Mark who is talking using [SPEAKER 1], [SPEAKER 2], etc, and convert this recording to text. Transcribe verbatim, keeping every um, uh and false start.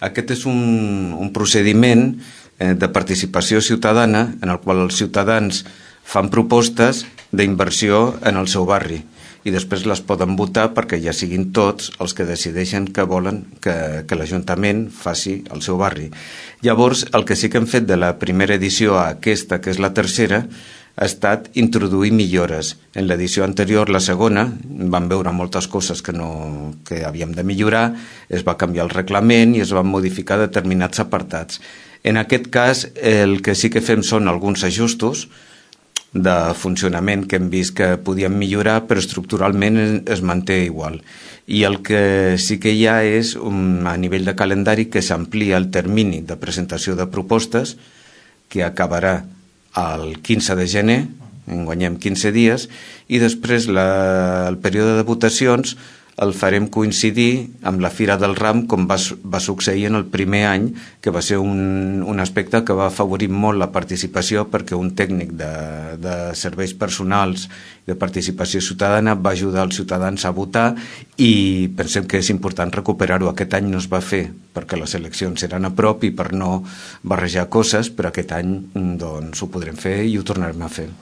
[SPEAKER 1] Aquest és un, un procediment eh, de participació ciutadana en el qual els ciutadans fan propostes d'inversió en el seu barri i després les poden votar perquè ja siguin tots els que decideixen que volen que, que l'Ajuntament faci el seu barri. Llavors, el que sí que hem fet de la primera edició a aquesta, que és la tercera, ha estat introduir millores. En l'edició anterior, la segona, vam veure moltes coses que, no, que havíem de millorar, es va canviar el reglament i es van modificar determinats apartats. En aquest cas, el que sí que fem són alguns ajustos de funcionament que hem vist que podíem millorar, però estructuralment es manté igual. I el que sí que hi ha és, un, a nivell de calendari, que s'amplia el termini de presentació de propostes, que acabarà el quinze de gener, en guanyem quinze dies, i després la, el període de votacions el farem coincidir amb la Fira del Ram, com va, va succeir en el primer any, que va ser un, un aspecte que va afavorir molt la participació, perquè un tècnic de, de serveis personals de participació ciutadana va ajudar els ciutadans a votar, i pensem que és important recuperar-ho. Aquest any no es va fer perquè les eleccions eren a prop i per no barrejar coses, però aquest any doncs, ho podrem fer i ho tornarem a fer.